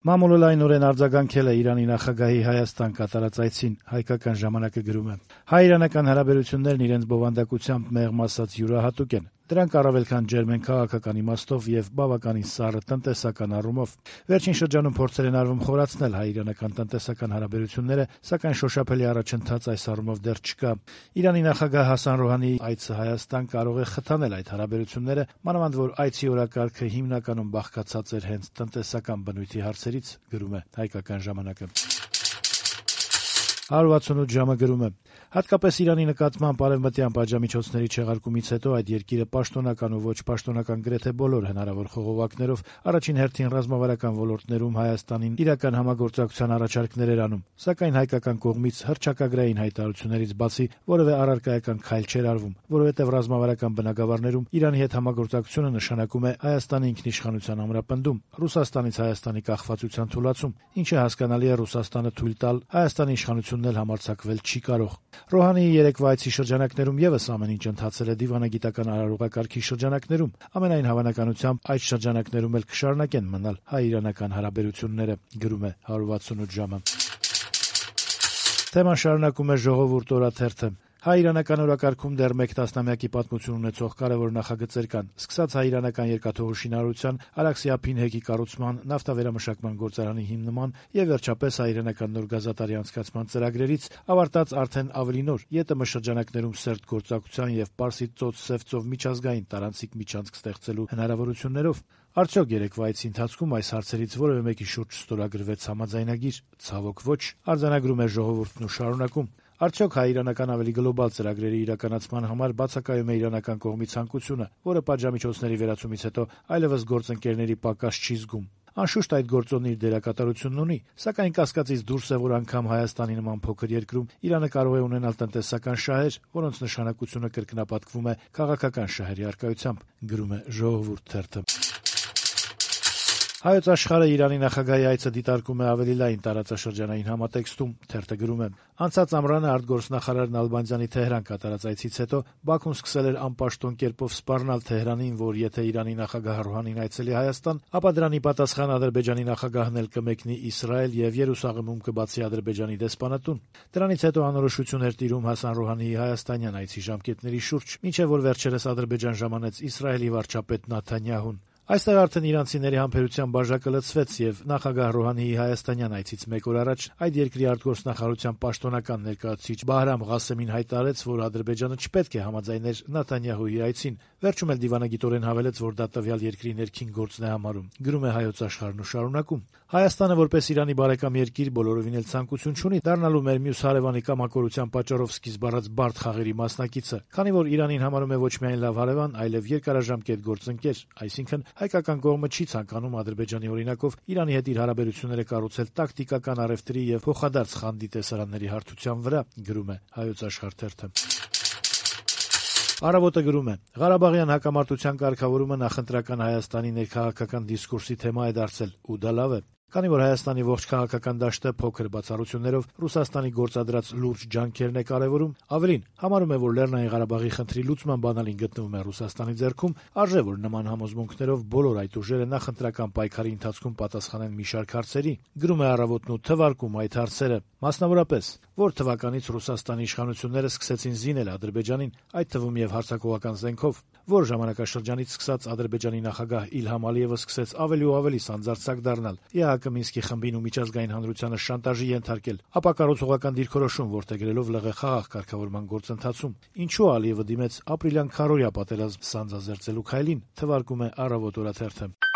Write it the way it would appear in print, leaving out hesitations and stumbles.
Մամուլը լայնորեն արձագանքել է Իրանի նախագահի Հայաստան կատարած այցին, հայկական ժամանակը գրում է. հայ-իրանական հարաբերություններն իրենց բովանդակությամբ մեղմ ասած յուրահատուկ են. դրանք առավել քան ջերմ են քաղաքական իմաստով եւ բավականին սառը տնտեսական առումով. վերջին շրջանում փորձեր են արվում խորացնել հայ-իրանական տնտեսական հարաբերությունները, սակայն շոշափելի առաջընթաց այս առումով դեռ չկա. Իրանի նախագահ Հասան Ռոհանիի այցը Հայաստան կարող է խթանել այդ հարաբերությունները, մանավանդ որ այցի օրակարգը հիմնականում բաղկացած էր հենց տնտեսական բնույթի հարցերից, գրում է հայկական ժամանակը. 168 ժամը գրում է. հատկապես Իրանի նկատմամբ արևմտյան պատժամիջոցների չեղարկումից հետո այդ երկիրը պաշտոնական ու ոչ պաշտոնական գրեթե բոլոր հնարավոր խողովակներով առաջին հերթին ռազմավարական ոլորտներում Հայաստանին իրական համագործակցության առաջարկներ էր անում, սակայն հայկական կողմից հռչակագրային հայտարարություններից բացի որևէ առարկայական քայլ չէր արվում, որովհետև ռազմավարական բնագավառներում Իրանի հետ համագործակցությունը նշանակում է Հայաստանի ինքնիշխանության ամրապնդում, Ռուսաստանից Հայաստանի կախվածության թուլացում, ինչը հասկանալի է Ռուսաստանը թույլ տալ, Հայաստանի իշխանությունն էլ համարձակվել չի կարող. Ռոհանիի երեկվա այցի շրջանակներում եւս ամեն ինչ ընթացել է դիվանագիտական արարողակարգի շրջանակներում, ամենայն հավանականությամբ այդ շրջանակներում էլ կշարունակեն մնալ հայ-իրանական հարաբերությունները, գրում է 168 ժամը. Թեման շարունակում է Ժողովուրդ օրաթերթը. հայ-իրանական օրակարգում դեռ մեկ տասնամյակի պատմություն ունեցող կարևոր նախագծեր կան, սկսած հայ-իրանական երկաթուղու շինարարության, Արաքսի ափին-հեքի կառուցման, նավթավերամշակման գործարանի հիմնման եւ վերջապես հայ-իրանական նոր գազատարի անցկացման ծրագրերից, ավարտած արդեն ավելի նոր ԵՏՄ շրջանակներում սերտ գործակցության եւ Պարսից ծոց-Սև ծով միջազգային տարանցիկ միջանցք ստեղծելու հնարավորություններով. Արդյոք երեկվա այցի ընթացքում այս հարցերից որևէ մեկի շուրջ ստորագրվեց համաձայնագիր, ցավոք ոչ, արձանագրում է Ժողովուրդն ու շարունակում. Արդյոք հայ-իրանական ավելի գլոբալ ծրագրերի իրականացման համար բացակայում է իրանական կողմի ցանկությունը, որը պատժամիջոցների վերացումից հետո այլևս գործընկերների պակաս չի զգում. Անշուշտ այդ գործոնն իր դերակատարությունն ունի, սակայն կասկածից դուրս է, որ անգամ Հայաստանի նման փոքր երկրում Իրանը կարող է ունենալ տնտեսական շահեր, որոնց նշանակությունը կրկնապատկվում է քաղաքական շահերի առկայությամբ, գրում է Ժողովուրդ թերթը. Հայոց աշխարհը Իրանի նախագահի այցը դիտարկում է ավելի լայն տարածաշրջանային համատեքստում, թերթը գրում է. անցած ամռանը արտգործնախարար Նալբանդյանի Թեհրան կատարած այցից հետո Բաքուն սկսել էր անպաշտոն կերպով սպառնալ Թեհրանին, որ եթե Իրանի նախագահ Ռոհանին այցելի Հայաստան, ապա դրանի պատասխան Ադրբեջանի նախագահն էլ կմեկնի Իսրայել եւ Երուսաղեմում կբացի Ադրբեջանի դեսպանատուն։ Դրանից հետո անորոշություն էր տիրում Հասան Ռոհանիի հայաստանյան այցի ժամկետների շուրջ, մինչեւ որ վերջերս Ադրբեջան ժամանեց Իսրայելի վարչապետ Նաթանյահուն։ Այստեղ արդեն իրանցիների համբերության բաժակը լցվեց եւ նախագահ Ռոհանիի հայաստանյան այցից մեկ օր առաջ այդ երկրի արտգործնախարարության պաշտոնական ներկայացուցիչ Բահրամ Ղասեմին հայտարարեց, որ Ադրբեջանը չպետք է համաձայներ Նաթանյահուի այցին, վերջում էլ դիվանագիտորեն հավելեց, որ դա տվյալ երկրի ներքին գործն է համարում, գրում է Հայոց աշխարհն ու շարունակում. Հայաստանը որպես Իրանի բարեկամ երկիր բոլորովին էլ ցանկություն չունի դառնալու մեր մյուս հարևանի կամակորության պատճառով սկիզբ առած բարդ խաղերի մասնակիցը, քանի որ Իրանին համարում է ոչ միայն լավ հարևան, այլև երկարաժամկետ գործընկեր, այսինքն հայկական կողմը չի ցանկանում Ադրբեջանի օրինակով Իրանի հետ իր հարաբերությունները կառուցել տակտիկական առևտրի եւ փոխադարձ խանդի տեսարանների հարթության վրա, գրում է Հայոց աշխարհ թերթը. Առավոտը գրում է. Ղարաբաղյան հակամարտության կարգավորումը նախընտրական Հայաստանի ներքաղաքական դիսկուրսի թեմա է դարձել, ու դա լավ է. Քանի որ Հայաստանի ողջ քաղաքական դաշտը փոքր բացառություններով Ռուսաստանի գործադրած լուրջ ջանքերն է կարևորում, ավելին համարում է, որ Լեռնային Ղարաբաղի խնդրի լուծման բանալին գտնվում է Ռուսաստանի ձեռքում, արժե որ նման համոզմունքներով բոլոր այդ ուժերը նախընտրական պայքարի ընթացքում պատասխանեն մի շարք հարցերի, գրում է Առավոտն ու թվարկում այդ հարցերը, մասնավորապես, որ թվականից Ռուսաստանի իշխանությունները սկսեցին զինել Ադրբեջանին, այդ թվում եւ հարձակողական զենքով, որ ժամանակաշրջանից սկսած Ադրբեջանի նախագահ Իլհամ Ալիևը սկսեց ավելի ու ավելի սանձարձակ դառնալ, Մինսկի խմբին ու միջազգային հանրությանը շանտաժի ենթարկել, ապա կառուցողական դիրքորոշում որդեգրելով ԼՂ խաղաղ կարգավորման գործընթացում, ինչու Ալիևը դիմեց ապրիլյան քարոզիա պատերազմ սանձազերծելու քայլին, թվարկում է Առավոտ օրաթերթը.